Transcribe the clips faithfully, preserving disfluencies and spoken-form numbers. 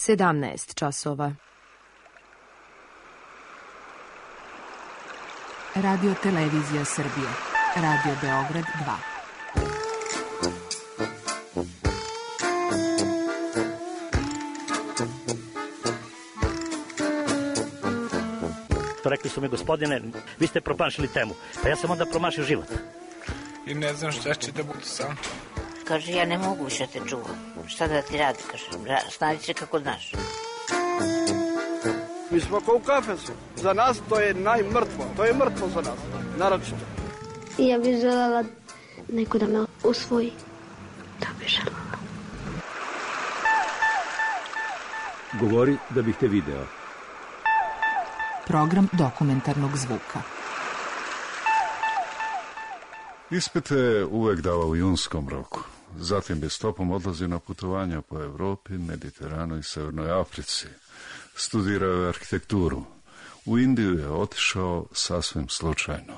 sedamnaest časova. Radio Televizija Srbije. Radio Beograd dva. Rekli su mi, gospodine, vi ste promašili temu. Pa ja sam onda promašio život. I ne znam šta će da budu sam. Kaže, ja ne mogu više te čuvam. Šta da ti radi, kaže, snađi se kako znaš. Mi smo kao u kafesu. Za nas to je najmrtvo. To je mrtvo za nas, naročito. Ja bih želela neko da me usvoji. Da bih želela. Govori da bih te video. Program dokumentarnog zvuka. Ispite je uvek davao u junskom roku. Zatim bi stopom odlazio na putovanja po Evropi, Mediteranu i Severnoj Africi. Studirao je arhitekturu. U Indiju je otišao sasvim slučajno.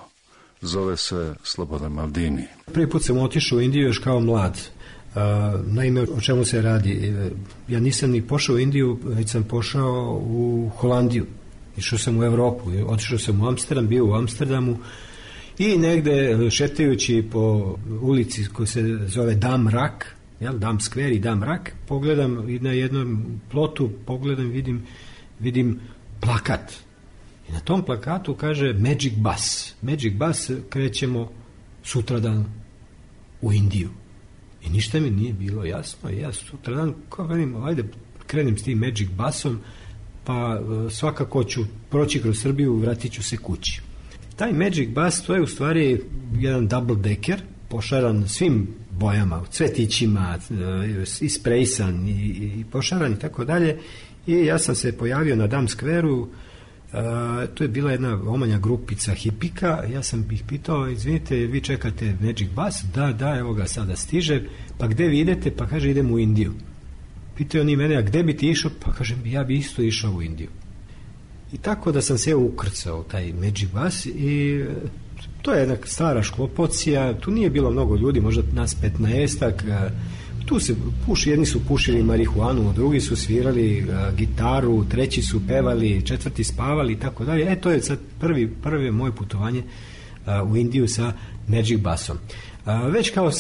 Zove se Slobodan Maldini. Prvi put sam otišao u Indiju još kao mlad. Uh, naime, o čemu se radi? Ja nisam ni pošao u Indiju, već sam pošao u Holandiju. Išao sam u Evropu, otišao sam u Amsterdam, bio u Amsterdamu i negde šetajući po ulici koja se zove Dam Rak, jel, Dam Skver i Dam Rak, pogledam i na jednom plotu, pogledam, vidim, vidim plakat. I na tom plakatu kaže Magic Bus. Magic Bus, krećemo sutradan u Indiju. I ništa mi nije bilo jasno. Ja sutradan, kao velim, ajde krenem s tim Magic Busom, pa svakako ću proći kroz Srbiju, vratit ću se kući. Taj Magic Bus, to je u stvari jedan double decker, pošaran svim bojama, cvetićima, isprejsan i, i pošaran i tako dalje. I ja sam se pojavio na Dam Skveru, uh, to je bila jedna omanja grupica hipika, ja sam ih pitao, izvinite, vi čekate Magic Bus? Da, da, evo ga sada stiže, pa gde vi idete? Pa kaže, idem u Indiju. Pitaju oni mene, a gde bi ti išao? Pa kažem, ja bi isto išao u Indiju. I tako da sam se ukrcao taj Magic Bus i to je jedna stara šklopocija, tu nije bilo mnogo ljudi, možda nas petnaestak, tu se puši, jedni su pušili marihuanu, drugi su svirali gitaru, treći su pevali, četvrti spavali i tako dalje. E, to je sad prvi, prvi moje putovanje u Indiju sa Magic Busom. Već kao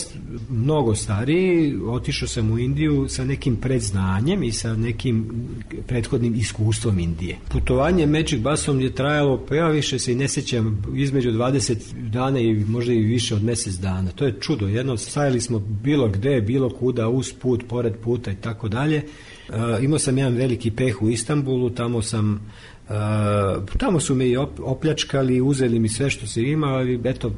mnogo stariji otišao sam u Indiju sa nekim predznanjem i sa nekim prethodnim iskustvom Indije. Putovanje Magic Busom je trajalo, pa ja više se i ne sjećam, između dvadeset dana i možda i više od mjesec dana. To je čudo, jedno stajali smo bilo gde, bilo kuda, uz put, pored puta i tako dalje. Imao sam jedan veliki peh u Istanbulu, tamo sam Uh, tamo su me i op, opljačkali, uzeli mi sve što se ima, ali eto,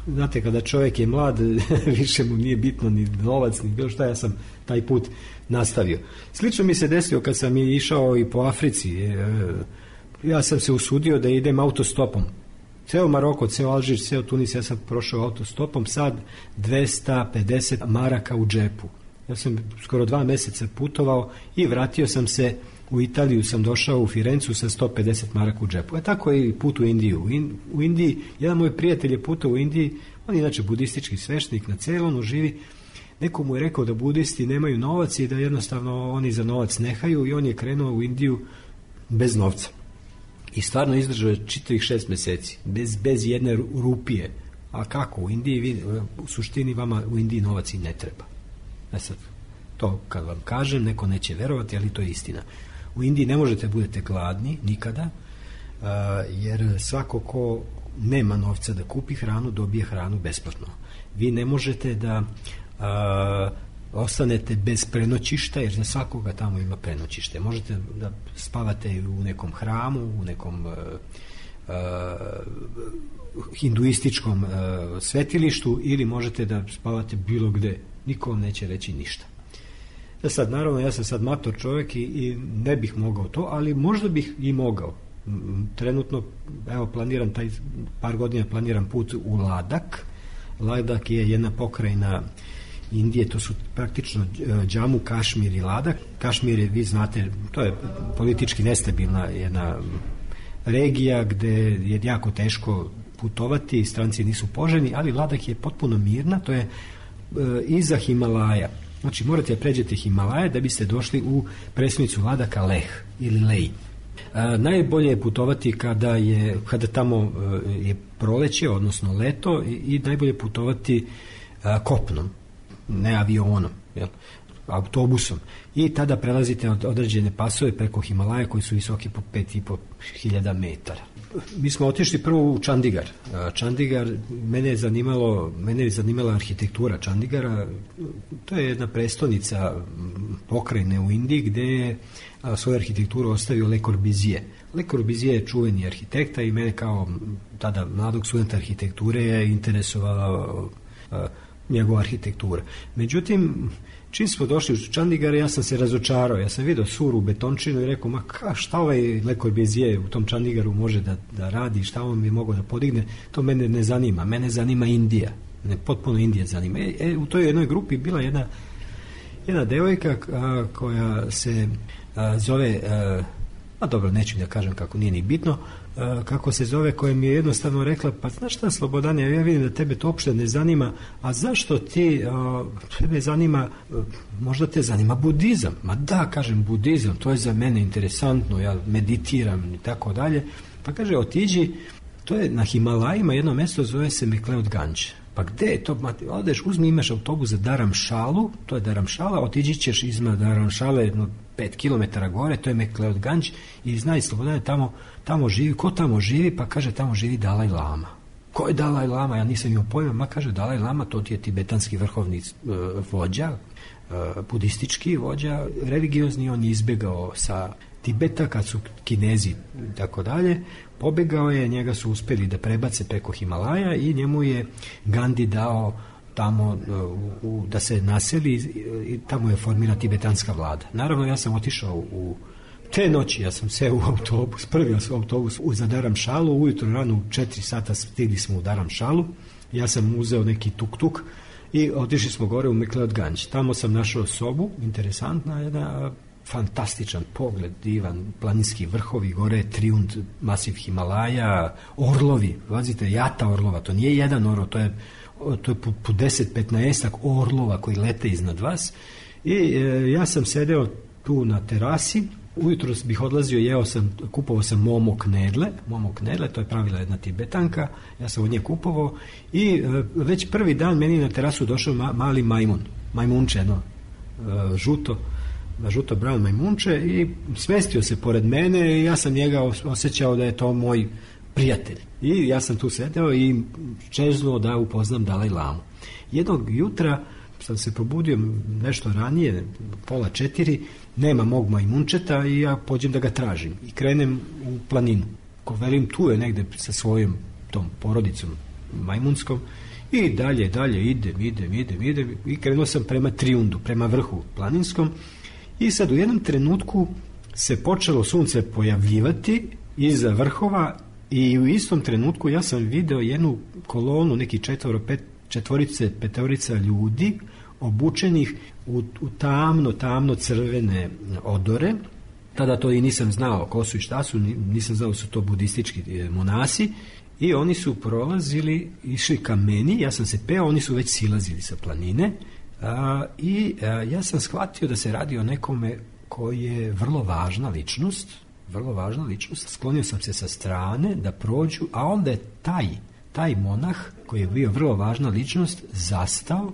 znate, kada čovjek je mlad više mu nije bitno ni novac ni bilo šta, ja sam taj put nastavio. Slično mi se desilo kad sam išao i po Africi. uh, ja sam se usudio da idem autostopom, ceo Maroko, ceo Alžir, ceo Tunis, ja sam prošao autostopom, sad dvesta pedeset maraka u džepu. Ja sam skoro dva mjeseca putovao i vratio sam se u Italiju, sam došao u Firencu sa sto pedeset maraka u džepu. A tako je i put u Indiju. U, In, u Indiji, jedan moj prijatelj je putao u Indiji, on je inače budistički sveštenik, na Ceylonu živi. Neko mu je rekao da budisti nemaju novac i da jednostavno oni za novac nehaju, i on je krenuo u Indiju bez novca. I stvarno izdržao je čitavih šest mjeseci, bez, bez jedne rupije. A kako? U Indiji, vi, u suštini vama u Indiji novac i ne treba. E sad, to kad vam kažem, neko neće verovati, ali to je istina. U Indiji ne možete budete gladni nikada, uh, jer svako ko nema novca da kupi hranu, dobije hranu besplatno. Vi ne možete da uh, ostanete bez prenoćišta, jer za svakoga tamo ima prenoćište. Možete da spavate u nekom hramu, u nekom uh, uh, hinduističkom uh, svetilištu, ili možete da spavate bilo gde. Niko vam neće reći ništa. Da sad, naravno, ja sam sad mator čovjek i, i ne bih mogao to, ali možda bih i mogao. Trenutno, evo, planiram taj, par godina planiram put u Ladak. Ladak je jedna pokrajina Indije, to su praktično Džamu, Kašmir i Ladak. Kašmir je, vi znate, to je politički nestabilna jedna regija gde je jako teško putovati, stranci nisu poželjni, ali Ladak je potpuno mirna, to je iza Himalaja. Znači morate da pređete Himalaje da biste došli u prestonicu Ladaka Leh ili Lej. A, najbolje je putovati kada je kada tamo je proleće, odnosno leto, i, i najbolje putovati a, kopnom, ne avionom, jel? Autobusom, i tada prelazite od određene pasove preko Himalaja koji su visoki po pet i po hiljada metara. Mi smo otišli prvo u Čandigar. Čandigar, mene je zanimalo, mene je zanimala arhitektura Čandigara. To je jedna prestonica pokrajine u Indiji gde je svoju arhitekturu ostavio Le Corbusier. Le Corbusier je čuveni arhitekta i mene kao tada mladog studenta arhitekture je interesovala njegova arhitektura. Međutim, čim smo došli u Čandigar, ja sam se razočarao. Ja sam vidio suru betončinu i rekao, ma ka, šta ovaj Le Corbusier u tom Čandigaru može da, da radi, šta on bi mogao da podigne, to mene ne zanima. Mene zanima Indija. Ne, potpuno Indija zanima. E, e, u toj jednoj grupi bila jedna, jedna devojka a, koja se a, zove, a, a dobro, neću da kažem kako, nije ni bitno, a, kako se zove, koja mi je jednostavno rekla, pa znaš šta, Slobodane, ja vidim da tebe to uopšte ne zanima, a zašto ti, a, tebe zanima, a, možda te zanima budizam? Ma da, kažem, budizam, to je za mene interesantno, ja meditiram i tako dalje. Pa kaže, otiđi, to je na Himalajima jedno mesto, zove se McLeod Ganj. Pa gde je to? Odeš, uzmi, imaš autobus za Dharamšalu, to je Dharamšala, otiđi ćeš izma Dharamšale jedno pet kilometara gore, to je McLeod Ganj, i znaj, Slobodane, tamo, tamo živi, ko tamo živi? Pa kaže, tamo živi Dalaj Lama. Ko je Dalaj Lama? Ja nisam imao pojma. Ma kaže, Dalaj Lama, to ti je tibetanski vrhovni uh, vođa, uh, budistički vođa, religiozni, on je izbegao sa Tibeta kad su Kinezi i tako dalje, pobegao je, njega su uspeli da prebace preko Himalaja i njemu je Gandhi dao tamo u, u, da se naseli i tamo je formira tibetanska vlada. Naravno, ja sam otišao u te noći, ja sam seo u autobus, prvi autobus za Dharamšalu, ujutro rano u četiri sata stigli smo u Dharamšalu, ja sam uzeo neki tuk-tuk i otišli smo gore u McLeod Ganj. Tamo sam našao sobu, interesantna jedna, fantastičan pogled, divan, planinski vrhovi, gore Triund, masiv Himalaja, orlovi, vazite, jata orlova, to nije jedan orlov, to je, to je po, po deset petnaest orlova koji lete iznad vas. I e, ja sam sedeo tu na terasi, ujutro bih odlazio, jeo sam, kupovao sam momo knedle, momo knedle, to je pravila jedna Tibetanka, ja sam od nje kupovao i e, već prvi dan meni na terasu došao ma, mali majmun, majmunče, jedno, e, žuto, žuto brown majmunče, i smestio se pored mene i ja sam njega osjećao da je to moj prijatelj. I ja sam tu sedeo i čeznuo da upoznam Dalaj Lamu. Jednog jutra sam se probudio nešto ranije, pola četiri, nema mog majmunčeta i ja pođem da ga tražim i krenem u planinu. Ko velim, tu je negde sa svojom tom porodicom majmunskom i dalje, dalje idem, idem, idem, idem i krenuo sam prema Triundu, prema vrhu planinskom. I sad u jednom trenutku se počelo sunce pojavljivati iza vrhova i u istom trenutku ja sam video jednu kolonu, neki četvoro, pet, četvorice, petorica ljudi obučenih u, u tamno, tamno crvene odore. Tada to i nisam znao ko su i šta su, nisam znao su to budistički monasi, i oni su prolazili, išli ka meni, ja sam se peo, oni su već silazili sa planine. A, i a, ja sam shvatio da se radi o nekome koji je vrlo važna ličnost, vrlo važna ličnost. Sklonio sam se sa strane da prođu, a onda je taj, taj monah koji je bio vrlo važna ličnost zastao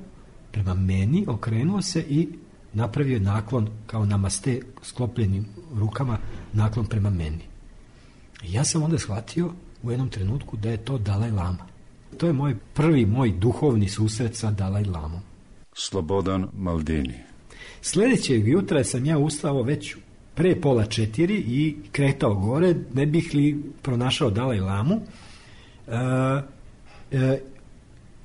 prema meni, okrenuo se i napravio naklon kao namaste sklopljenim rukama, naklon prema meni. I ja sam onda shvatio u jednom trenutku da je to Dalaj Lama. To je moj prvi, moj duhovni susret sa Dalaj Lamom. Slobodan Maldini. Sljedećeg jutra sam ja ustao već pre pola četiri i kretao gore, ne bih li pronašao Dalaj Lamu. E, e,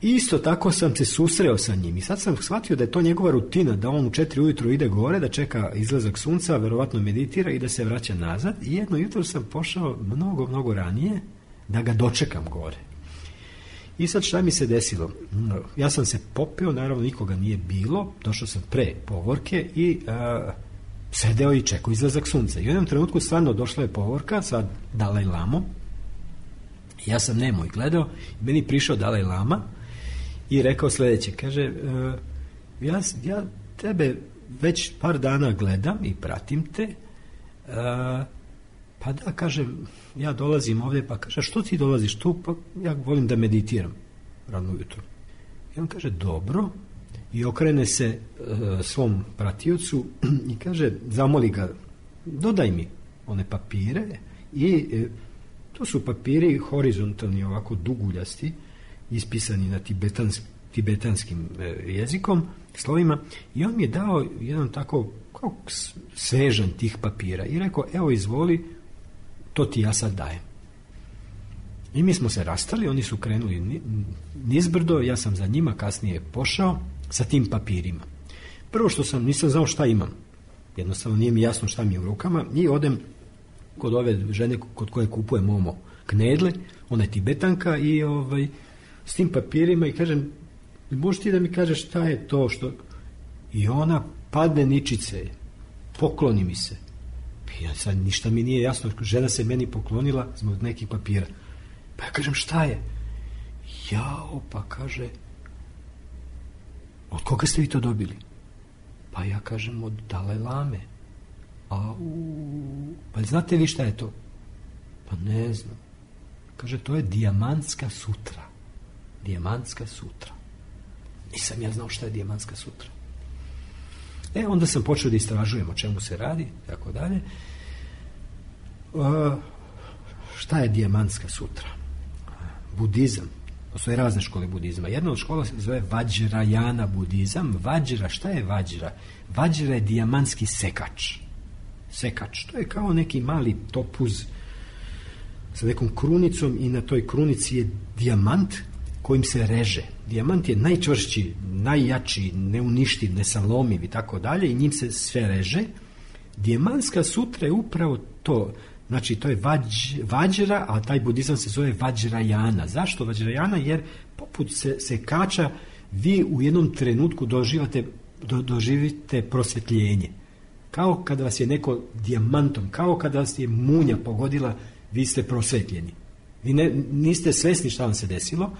isto tako sam se susreo sa njim i sad sam shvatio da je to njegova rutina, da on u četiri ujutro ide gore, da čeka izlazak sunca, verovatno meditira i da se vraća nazad. I jedno jutro sam pošao mnogo, mnogo ranije da ga dočekam gore. I sad šta mi se desilo? Ja sam se popeo, naravno nikoga nije bilo, došao sam pre povorke i a, sedeo i čekao izlazak sunca. I u jednom trenutku stvarno došla je povorka sa Dalaj Lamom. Ja sam nemo i gledao, i meni prišao Dalaj Lama i rekao sljedeće, kaže, a, ja, ja tebe već par dana gledam i pratim te, a, pa da, kažem, ja dolazim ovdje, pa kaže, što ti dolaziš tu? Pa ja volim da meditiram rano ujutro. I on kaže, dobro, i okrene se e, svom pratiocu i kaže, zamoli ga, dodaj mi one papire i e, to su papiri horizontalni, ovako duguljasti, ispisani na tibetans, tibetanskim e, jezikom, slovima, i on mi je dao jedan tako kao svežan tih papira i rekao, evo izvoli, to ti ja sad dajem. I mi smo se rastali, oni su krenuli nizbrdo, ja sam za njima kasnije pošao sa tim papirima. Prvo što sam, nisam znao šta imam. Jednostavno nije mi jasno šta mi je u rukama i odem kod ove žene kod koje kupuje Momo knedle, ona je Tibetanka i ovaj, s tim papirima i kažem, možeš ti da mi kažeš šta je to što... I ona padne ničice, pokloni mi se. Ja sad ništa mi nije jasno, žena se meni poklonila zbog nekih papira. Pa ja kažem, šta je? Jao, pa kaže, od koga ste vi to dobili? Pa ja kažem, od Dalaj Lame. A u, pa znate vi šta je to? Pa ne znam. Kaže, to je dijamantska sutra. Dijamantska sutra. Nisam ja znao šta je dijamantska sutra. E, onda sam počeo da istražujem o čemu se radi, tako dalje. Uh, šta je dijamantska sutra? Budizam. Postoje razne škole budizma. Jedna od škola se zove Vajrayana budizam. Vajra, šta je Vajra? Vajra je dijamantski sekač. Sekač. To je kao neki mali topuz sa nekom krunicom i na toj krunici je dijamant kojim se reže. Dijamant je najčvršći, najjači, neuništiv, nesalomiv i tako dalje i njim se sve reže. Dijamantska sutra je upravo to. Znači, to je vađ, Vajra, a taj budizam se zove Vajrayana. Zašto Vajrayana? Jer poput se, se kača vi u jednom trenutku doživate, do, doživite prosvjetljenje. Kao kada vas je neko dijamantom, kao kada vas je munja pogodila, vi ste prosvetljeni. Vi ne, niste svesni šta vam se desilo.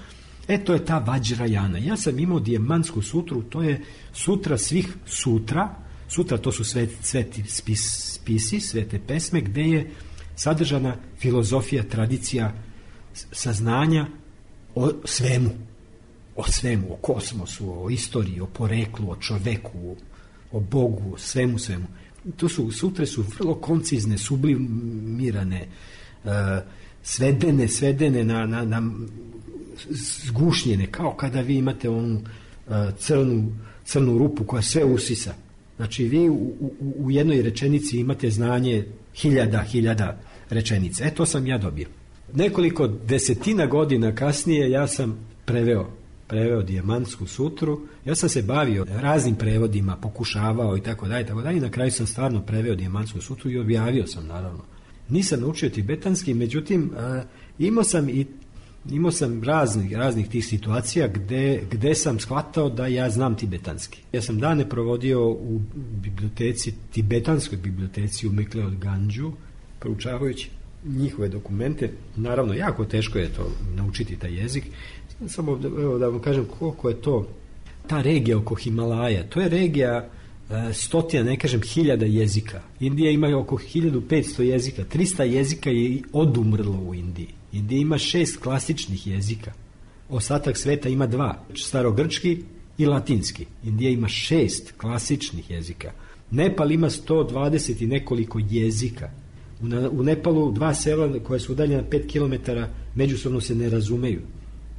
E, to je ta Vajrayana. Ja sam imao dijamantsku sutru, to je sutra svih sutra. Sutra to su sve, sveti spis, spisi, svete pesme, gde je sadržana filozofija, tradicija, saznanja o svemu. O svemu, o kosmosu, o istoriji, o poreklu, o čoveku, o Bogu, o svemu, svemu. To su, sutre su vrlo koncizne, sublimirane, uh, svedene, svedene na, na, na zgušnjene, kao kada vi imate onu uh, crnu, crnu rupu koja sve usisa. Znači, vi u, u, u jednoj rečenici imate znanje hiljada, hiljada rečenica. E, to sam ja dobio. Nekoliko desetina godina kasnije ja sam preveo, preveo dijamantsku sutru. Ja sam se bavio raznim prevodima, pokušavao i tako dalje, tako dalje. I na kraju sam stvarno preveo dijamantsku sutru i objavio sam, naravno. Nisam naučio tibetanski, međutim, a, imao sam i Imao sam raznih, raznih tih situacija gde, gde sam shvatao da ja znam tibetanski. Ja sam dane provodio u biblioteci, tibetanskoj biblioteci u Mekleod Ganđu, proučavajući njihove dokumente. Naravno, jako teško je to naučiti taj jezik. Samo evo, da vam kažem koliko je to, ta regija oko Himalaja, to je regija stotina, ne kažem hiljada jezika. Indija ima oko hiljadu petsto jezika, trista jezika je odumrlo u Indiji. Indija ima šest klasičnih jezika. Ostatak sveta ima dva, starogrčki i latinski. Indija ima šest klasičnih jezika. Nepal ima sto dvadeset i nekoliko jezika. U, na, u Nepalu dva sela koja su udaljena pet kilometara međusobno se ne razumeju.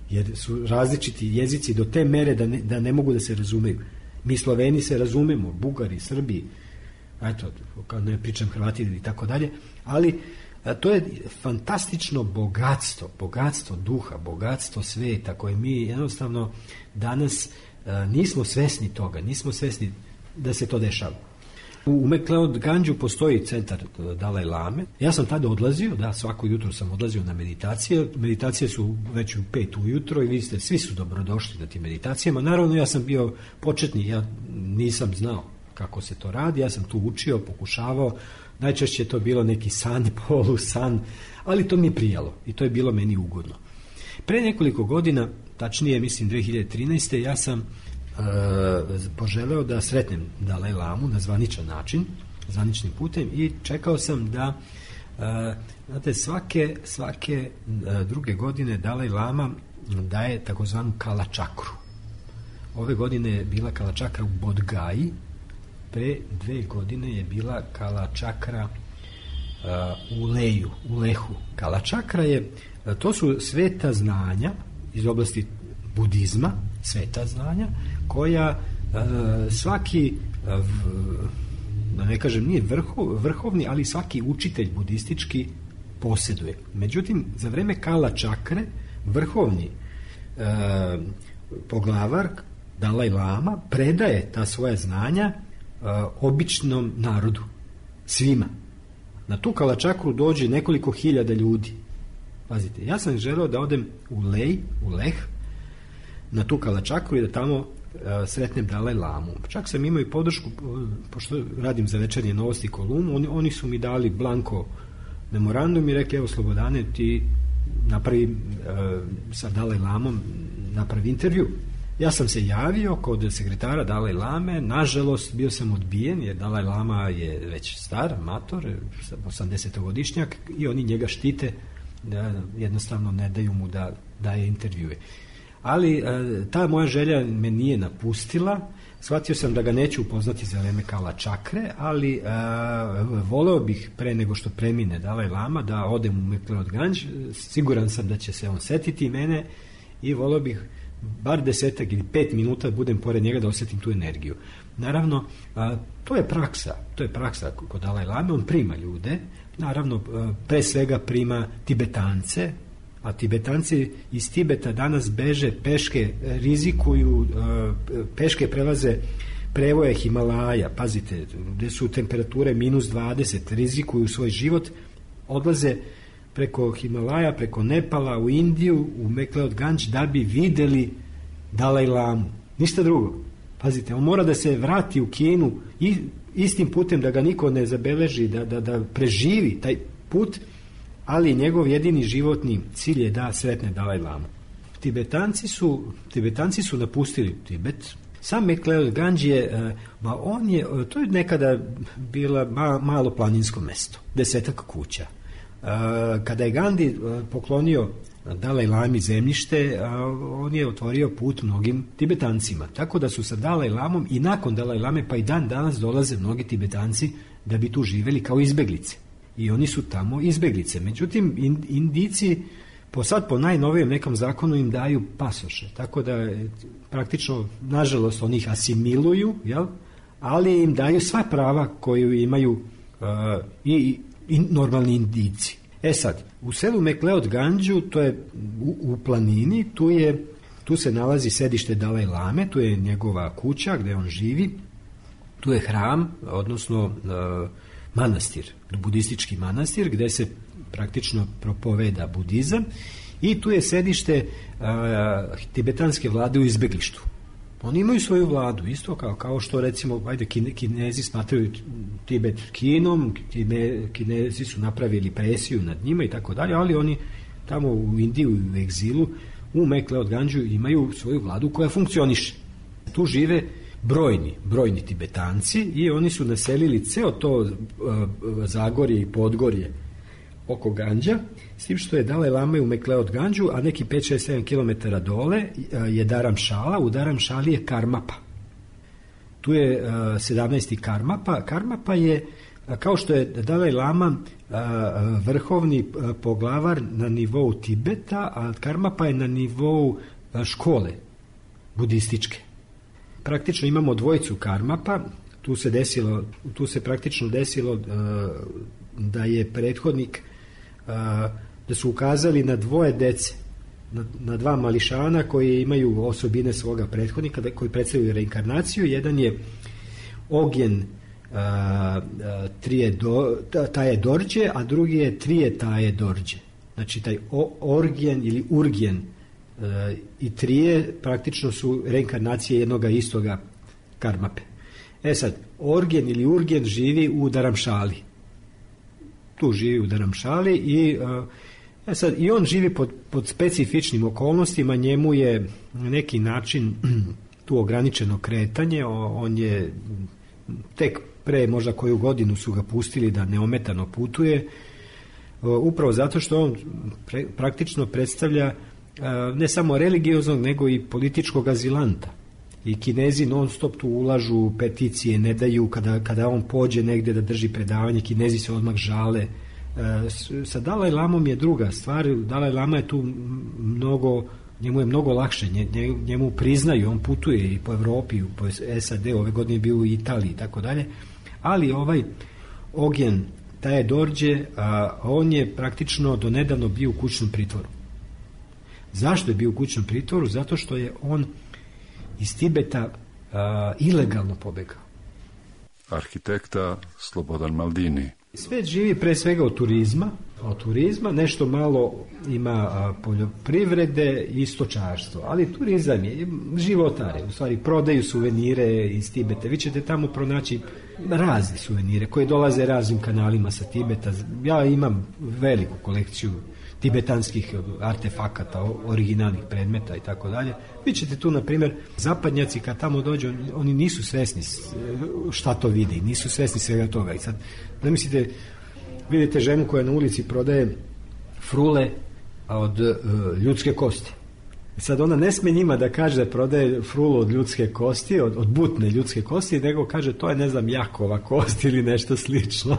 Jer su različiti jezici do te mere da ne, da ne mogu da se razumeju. Mi Sloveni se razumemo, Bugari, Srbi, eto, kao ne pričam Hrvati i tako dalje, ali a, to je fantastično bogatstvo, bogatstvo duha, bogatstvo sveta koje mi jednostavno danas a, nismo svesni toga, nismo svesni da se to dešava. U Mekleod Ganđu postoji centar Dalaj Lame. Ja sam tada odlazio, da, svako jutro sam odlazio na meditacije. Meditacije su već u pet ujutro i vi ste, svi su dobrodošli na tim meditacijama. Naravno, ja sam bio početni, ja nisam znao kako se to radi, ja sam tu učio, pokušavao. Najčešće je to bilo neki san, polu san, ali to mi je prijalo i to je bilo meni ugodno. Pre nekoliko godina, tačnije mislim dve hiljade trinaeste. ja sam poželeo da sretnem Dalaj Lamu na zvaničan način, zvaničnim putem, i čekao sam da znate, svake, svake druge godine Dalaj Lama daje takozvanu Kala čakru. Ove godine je bila Kala čakra u Bodgaji, pre dve godine je bila Kala čakra u Leju, u Lehu. Kala čakra je, to su sveta znanja iz oblasti budizma, sveta znanja, koja svaki, da ne kažem, nije vrhov, vrhovni, ali svaki učitelj budistički posjeduje. Međutim, za vreme Kala čakre, vrhovni e, poglavar Dalaj Lama predaje ta svoja znanja e, običnom narodu, svima. Na tu Kala čakru dođe nekoliko hiljada ljudi. Pazite, ja sam želeo da odem u Lej, u Leh, na tu Kala čakru i da tamo e, sretnem Dalaj Lamu. Čak sam imao i podršku, pošto radim za Večernje novosti kolumnu, oni, oni su mi dali blanko memorandum i rekli, evo Slobodane, ti napravi e, sa Dalaj Lamom, napravi intervju. Ja sam se javio kod sekretara Dalaj Lame, nažalost bio sam odbijen jer Dalaj Lama je već star, mator, osamdesetogodišnjak, i oni njega štite, da jednostavno ne daju mu da daje intervjue. Ali ta moja želja me nije napustila. Shvatio sam da ga neću upoznati za vreme Kala čakre, ali a, voleo bih pre nego što premine Dalaj Lama da odem u McLeod Ganj. Siguran sam da će se on setiti mene i voleo bih bar desetak ili pet minuta budem pored njega da osjetim tu energiju. Naravno, a, to je praksa, to je praksa kod Dalaj Lame, on prima ljude, naravno a, pre svega prima Tibetance, a Tibetanci iz Tibeta danas beže peške, rizikuju, peške prelaze prevoje Himalaja, pazite, gde su temperature minus dvadeset, rizikuju svoj život, odlaze preko Himalaja, preko Nepala u Indiju, u McLeod Ganj, da bi videli Dalaj Lamu. Ništa drugo. Pazite, on mora da se vrati u Kinu i istim putem, da ga niko ne zabeleži, da, da, da preživi taj put, ali njegov jedini životni cilj je da sretne Dalaj Lamu. Tibetanci su, Tibetanci su napustili Tibet. Sam McLeod Ganj je, ba on je, to je nekada bila ma, malo planinsko mesto, desetak kuća. Kada je Gandhi poklonio Dalaj Lami zemljište, on je otvorio put mnogim Tibetancima. Tako da su sa Dalaj Lamom i nakon Dalaj Lame, pa i dan danas dolaze mnogi Tibetanci da bi tu živeli kao izbeglice. I oni su tamo izbeglice. Međutim, Indijci po sad po najnovijem nekom zakonu im daju pasoše. Tako da praktično, nažalost, oni ih asimiluju, jel? Ali im daju sva prava koju imaju uh, i, i normalni Indijci. E sad, u selu McLeod Ganju, to je u, u planini, tu, je, tu se nalazi sedište Dalaj Lame, tu je njegova kuća gde on živi, tu je hram, odnosno uh, manastir, budistički manastir, gde se praktično propoveda budizam, i tu je sedište a, tibetanske vlade u izbeglištu. Oni imaju svoju vladu, isto kao, kao što recimo, ajde, kine, Kinezi smatraju Tibet Kinom, kine, Kinezi su napravili presiju nad njima i tako dalje, ali oni tamo u Indiju, u egzilu, u McLeod Ganju imaju svoju vladu koja funkcioniše. Tu žive brojni, brojni Tibetanci i oni su naselili ceo to uh, Zagorje i Podgorje oko Ganđa, s tim što je Dalaj Lama u McLeod Ganju, a neki pet šest sedam kilometara dole uh, je Dharamšala, u Dharamšali je Karmapa. Tu je uh, sedamnaesti Karmapa. Karmapa je, uh, kao što je Dalaj Lama uh, vrhovni uh, poglavar na nivou Tibeta, a Karmapa je na nivou uh, škole budističke. Praktično imamo dvojicu Karmapa, tu se desilo, tu se praktično desilo uh, da je prethodnik, uh, da su ukazali na dvoje dece, na, na dva mališana koji imaju osobine svoga prethodnika, da, koji predstavljaju reinkarnaciju. Jedan je Ogjen uh, trije do, taje dorđe, a drugi je trije taje dorđe. Znači taj o, Orgjen ili Urgjen Uh, i trije praktično su reinkarnacije jednoga istoga Karmape. E sad, Orgen ili Urgen živi u Dharamšali. Tu živi u Dharamšali i uh, e sad, i on živi pod, pod specifičnim okolnostima, njemu je na neki način tu ograničeno kretanje, on je tek pre možda koju godinu su ga pustili da neometano putuje, upravo zato što on pre, praktično predstavlja ne samo religioznog, nego i političkog azilanta. I Kinezi non stop tu ulažu, peticije ne daju, kada, kada on pođe negde da drži predavanje, Kinezi se odmah žale. Sa Dalaj Lamom je druga stvar, Dalaj Lama je tu mnogo, njemu je mnogo lakše, njemu priznaju, on putuje i po Evropi, po S A D, ove godine je bio u Italiji i tako dalje, ali ovaj Ognjen Taje Dorđe, a, on je praktično do nedavno bio u kućnom pritvoru. Zašto je bio u kućnom pritvoru? Zato što je on iz Tibeta a, ilegalno pobegao. Arhitekta Slobodan Maldini. Svet živi pre svega od turizma, od turizma, nešto malo ima a, poljoprivrede i stočarstvo, ali turizam je životare, u stvari prodaju suvenire iz Tibeta. Vi ćete tamo pronaći razne suvenire koje dolaze raznim kanalima sa Tibeta. Ja imam veliku kolekciju tibetanskih artefakata, originalnih predmeta i tako dalje. Vi ćete tu, na primjer, zapadnjaci kad tamo dođu, oni nisu svesni šta to vide, nisu svesni svega toga. I sad, da mislite, vidite ženu koja na ulici prodaje frule od uh, ljudske kosti. Sad ona ne sme njima da kaže da prodaje frulu od ljudske kosti, od, od butne ljudske kosti, nego kaže to je, ne znam, Jakova kost ili nešto slično.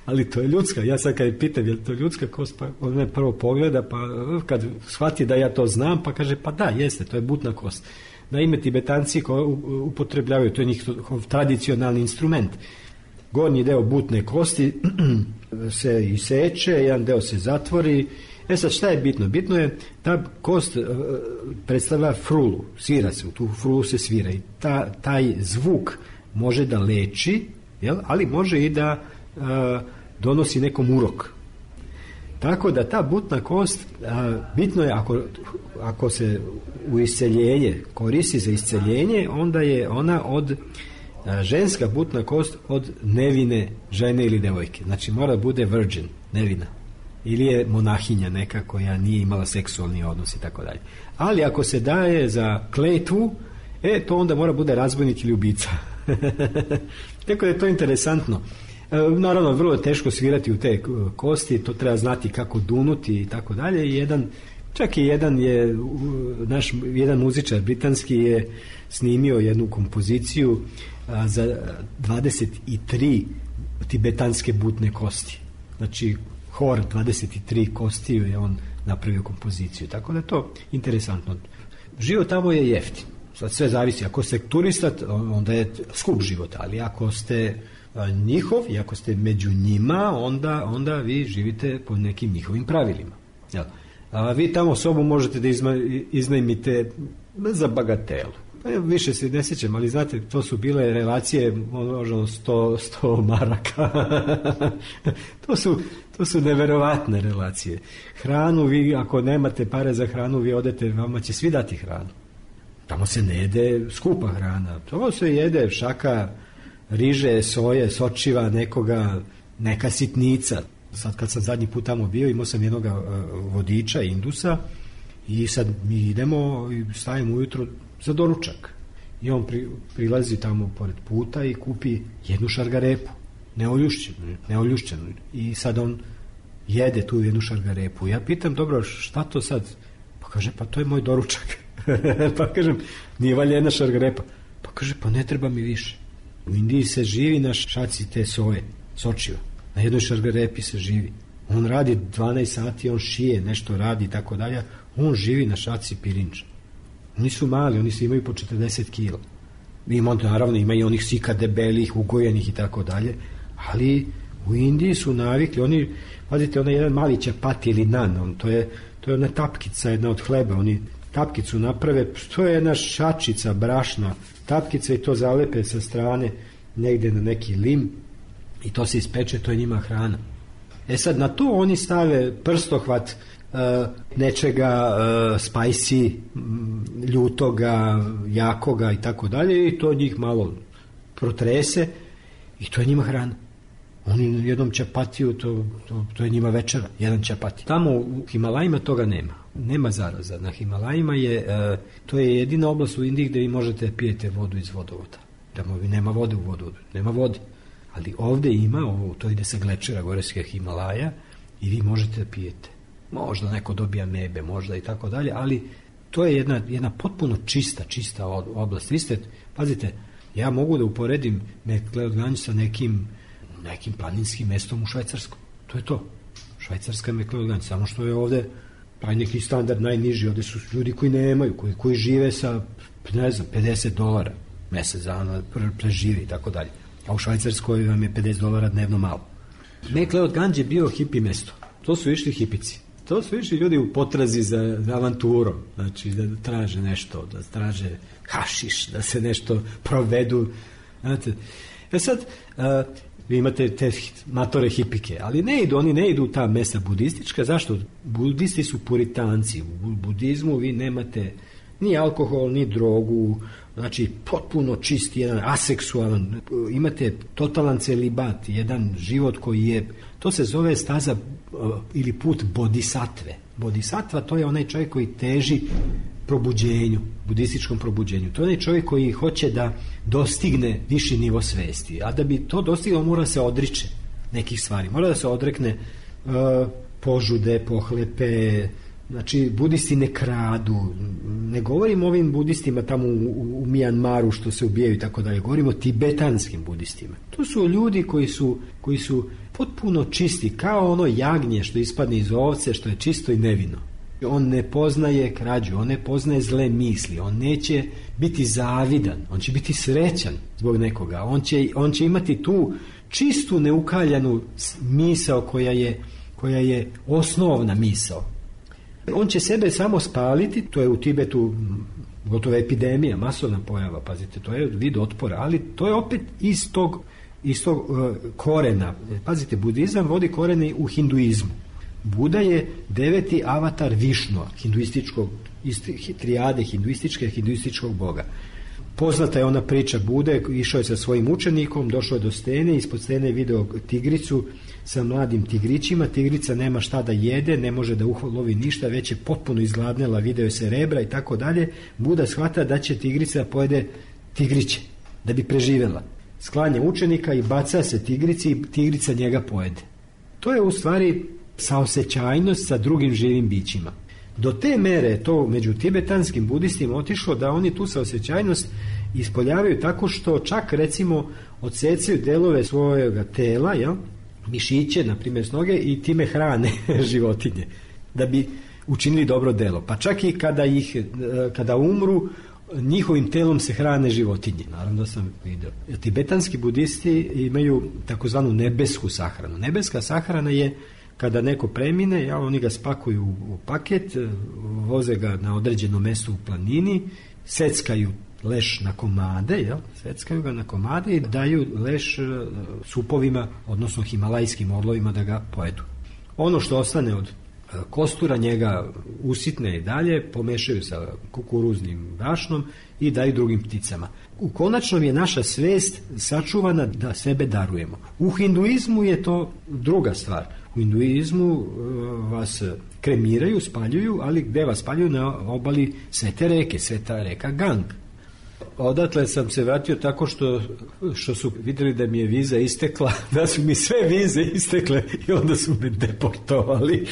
Ali to je ljudska. Ja sad kad pitam je li to ljudska kost, pa on me prvo pogleda, pa kad shvati da ja to znam, pa kaže pa da, jeste, to je butna kost. Naime, Tibetanci koji upotrebljavaju, to je njihov tradicionalni instrument. Gornji deo butne kosti se iseče, jedan deo se zatvori. E sad, šta je bitno? Bitno je ta kost predstavlja frulu, svira se, u tu frulu se svira i ta, taj zvuk može da leči, jel? Ali može i da a, donosi nekom urok. Tako da ta butna kost, a, bitno je ako, ako se u isceljenje koristi za isceljenje, onda je ona od a, ženska butna kost od nevine žene ili devojke. Znači mora bude virgin, nevina. Ili je monahinja neka koja nije imala seksualni odnos i tako dalje. Ali ako se daje za kletvu, e, to onda mora bude razbojnik ili ubica. Tako da je to interesantno. E, naravno, vrlo je teško svirati u te kosti, to treba znati kako dunuti i tako dalje. I jedan, čak i jedan je, naš jedan muzičar britanski je snimio jednu kompoziciju a, za dvadeset tri tibetanske butne kosti. Znači, hor dvadeset tri kostiju je on napravio kompoziciju, tako da je to interesantno. Život tamo je jeftin, sad sve zavisi, ako ste turista onda je skup život, ali ako ste njihov i ako ste među njima, onda, onda vi živite po nekim njihovim pravilima. Jel? A vi tamo sobu možete da izma, iznajmite za bagatelu. Više se ne sjećam, ali znate, to su bile relacije možda sto, sto maraka. to su to su neverovatne relacije. Hranu, vi ako nemate pare za hranu, vi odete, vama će svi dati hranu. Tamo se ne jede skupa hrana. Tamo se jede šaka riže, soje, sočiva, nekoga, neka sitnica. Sad kad sam zadnji put tamo bio, imao sam jednog vodiča, Indusa, i sad mi idemo i stavimo ujutro za doručak. I on pri, prilazi tamo pored puta i kupi jednu šargarepu, neoljušćenu, neoljušćenu. I sad on jede tu jednu šargarepu. Ja pitam, dobro, šta to sad? Pa kaže, pa to je moj doručak. Pa kažem, nije valja jedna šargarepa. Pa kaže, pa ne treba mi više. U Indiji se živi na šaci te soje, sočiva. Na jednoj šargarepi se živi. On radi dvanaest sati, on šije, nešto radi i tako dalje. On živi na šaci pirinča. Oni su mali, oni su imaju po četrdeset kila. Ima, naravno, ima i onih sika debelih, ugojenih i tako dalje, ali u Indiji su navikli, oni, pazite, onaj jedan mali čapati ili nan, on, to je, to je ona tapkica, jedna od hleba, oni tapkicu naprave, to je jedna šačica brašna, tapkica i to zalepe sa strane negde na neki lim i to se ispeče, to je njima hrana. E sad, na to oni stave prstohvat Uh, nečega uh, spicy, ljutoga, jakoga i tako dalje i to njih malo protrese i to je njima hrana. Oni jednom čapatiju, to, to, to je njima večera, jedan čapati. Tamo u Himalajima toga nema. nema zaraza. Na Himalajima je, e, to je jedina oblast u Indiji gdje vi možete pijete vodu iz vodovoda. Tamo nema vode u vodovodu, nema vode. Ali ovdje ima, ovo, to ide sa glečera goreskih Himalaja i vi možete pijete. Možda neko dobija mebe, možda i tako dalje, ali to je jedna, jedna potpuno čista, čista oblast. Vi ste, pazite, ja mogu da uporedim Mekleo-Ganj sa nekim, nekim planinskim mestom u Švajcarskom. To je to. Švajcarska Mekleo-Ganj, samo što je ovdje taj neki standard najniži, ovdje su ljudi koji nemaju, koji, koji žive sa, ne znam, pedeset dolara mesec dana, preživi i tako dalje. A u Švajcarskoj vam je pedeset dolara dnevno malo. Mekleo-Ganj je bio hipi mesto. To su išli hipici. To su išli ljudi u potrazi za, za avanturom, znači da traže nešto, da traže hašiš, da se nešto provedu. Znate, e sad, a, vi imate te matore hipike, ali ne idu, oni ne idu u ta mesta budistička. Zašto? Budisti su puritanci. U budizmu vi nemate ni alkohol, ni drogu, znači potpuno čisti, jedan aseksualan, imate totalan celibat, jedan život koji je, to se zove staza ili put bodhisatve. Bodhisattva to je onaj čovjek koji teži probuđenju, budističkom probuđenju. To je onaj čovjek koji hoće da dostigne viši nivo svesti, a da bi to dostigao mora se odriče nekih stvari, mora da se odrekne uh, požude, pohlepe. Znači, budisti ne kradu, ne govorim o ovim budistima tamo u, u Mijanmaru što se ubijaju i tako dalje, govorim o tibetanskim budistima. To su ljudi koji su, koji su potpuno čisti, kao ono jagnje što ispadne iz ovce, što je čisto i nevino. On ne poznaje krađu, on ne poznaje zle misli, on neće biti zavidan, on će biti srećan zbog nekoga, on će, on će imati tu čistu neukaljanu misao koja je, koja je osnovna misao. On će sebe samo spaliti, to je u Tibetu gotova epidemija, masovna pojava, pazite, to je vid otpora, ali to je opet iz tog, iz tog uh, korena. Pazite, budizam vodi korene u hinduizmu. Buda je deveti avatar Višnua, hinduističkog, trijade hinduističke, hinduističkog boga. Poznata je ona priča Bude, išao je sa svojim učenikom, došao je do stene, ispod stene je video tigricu sa mladim tigrićima, tigrica nema šta da jede, ne može da ulovi ništa, već je potpuno izgladnela, video je se rebra i tako dalje. Buda shvata da će tigrica da pojede tigriće, da bi preživjela. Sklanja učenika i baca se tigrici i tigrica njega pojede. To je u stvari saosećajnost sa drugim živim bićima. Do te mere to među tibetanskim budistima otišlo da oni tu saosećajnost ispoljavaju tako što čak recimo odsecaju delove svojega tela, jel? Mišiće, na primjer s noge, i time hrane životinje da bi učinili dobro delo. Pa čak i kada ih kada umru, njihovim telom se hrane životinje. Naravno da sam vidio. Tibetanski budisti imaju takozvanu nebesku sahranu. Nebeska sahrana je kada neko premine, ja, oni ga spakuju u paket, voze ga na određeno mesto u planini, seckaju leš na komade, jel? Seckaju ga na komade i daju leš supovima, odnosno himalajskim orlovima da ga pojedu. Ono što ostane od kostura njega usitne i dalje, pomešaju sa kukuruznim brašnom i daju drugim pticama. U konačnom je naša svest sačuvana da sebe darujemo. U hinduizmu je to druga stvar. U hinduizmu vas kremiraju, spaljuju, ali gde vas spaljuju? Na obali Svete reke, Sveta reka Gang. Odatle sam se vratio tako što, što su vidjeli da mi je viza istekla, da su mi sve vize istekle i onda su me deportovali.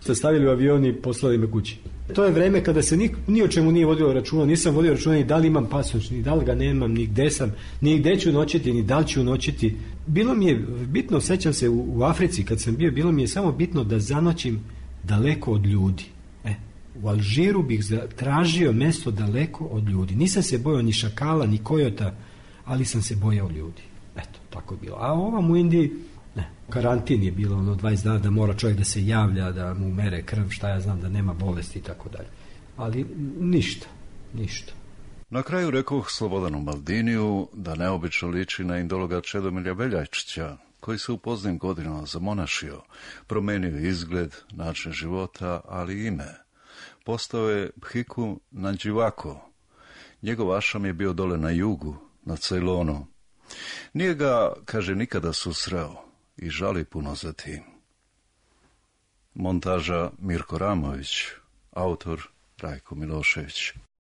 Su stavili u avion i poslali me kući. To je vreme kada se ni, ni o čemu nije vodio računa, nisam vodio računa ni da li imam pasoš, ni da li ga nemam, ni gde sam, ni gde ću noćiti, ni da li ću noćiti. Bilo mi je bitno, sećam se u, u Africi kad sam bio, bilo mi je samo bitno da zanoćim daleko od ljudi. E, u Alžiru bih tražio mesto daleko od ljudi. Nisam se bojao ni šakala, ni kojota, ali sam se bojao ljudi. Eto, tako je bilo. A ovam u Indiji, ne, karantin je bilo ono dvadeset dana da mora čovjek da se javlja, da mu mere krv, šta ja znam, da nema bolesti i tako dalje. Ali ništa, ništa. Na kraju rekoh Slobodanu Maldiniju da neobično liči na indologa Čedomilja Beljajčića, koji se u poznim godinama zamonašio, promenio izgled, način života, ali i ime. Postao je Bhikkhu Nanđivako. Njegov ašam je bio dole na jugu, na Ceylonu. Nije ga, kaže, nikada susreo i žali puno za tim. Montaža Mirko Ramović, autor Rajko Milošević.